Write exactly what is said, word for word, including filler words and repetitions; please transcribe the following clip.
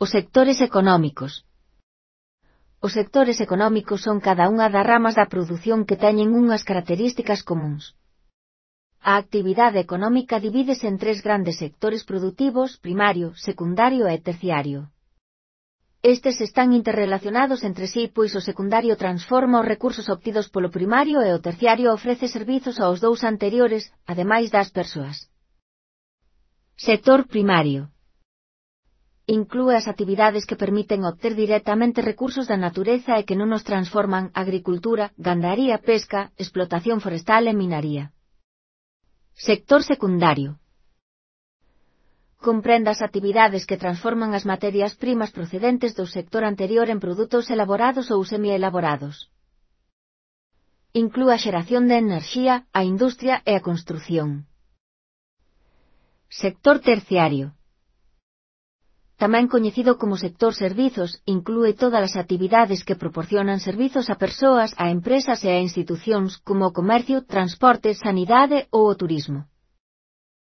Os sectores económicos. Os sectores económicos son cada unha das ramas da produción que teñen unhas características comúns. A actividade económica divídese en tres grandes sectores produtivos: primario, secundario e terciario. Estes están interrelacionados entre sí, pois o secundario transforma os recursos obtidos polo primario e o terciario ofrece servizos aos dous anteriores, ademais das persoas. Sector primario. Inclúe as actividades que permiten obter directamente recursos da natureza e que non os transforman: agricultura, gandaría, pesca, explotación forestal e minaría. Sector secundario. Comprende as actividades que transforman as materias primas procedentes do sector anterior en produtos elaborados ou semielaborados. Inclúe a xeración de enerxía, a industria e a construción. Sector terciario. Tamén coñecido como sector servizos, inclúe todas as actividades que proporcionan servizos a persoas, a empresas e a institucións, como o comercio, transporte, sanidade ou o turismo.